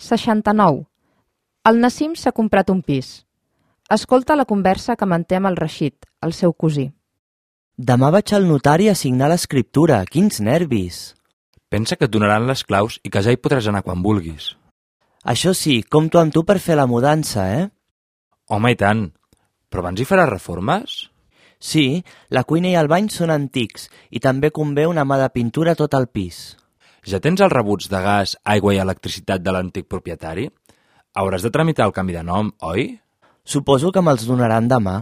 69. El Nassim s'ha comprat un pis. Escolta la conversa que manté amb el Rashid, el seu cosí. Demà vaig al notari a signar l'escriptura. Quins nervis! Pensa que et donaran les claus i que ja hi podràs anar quan vulguis. Això sí, compto amb tu per fer la mudança, eh? Home, i tant. Però abans hi faràs reformes? Sí, la cuina i el bany són antics i també convé una mà de pintura a tot el pis. Ja tens els rebuts de gas, aigua i electricitat de l'antic propietari? Hauràs de tramitar el canvi de nom, oi? Suposo que me'ls donaran demà.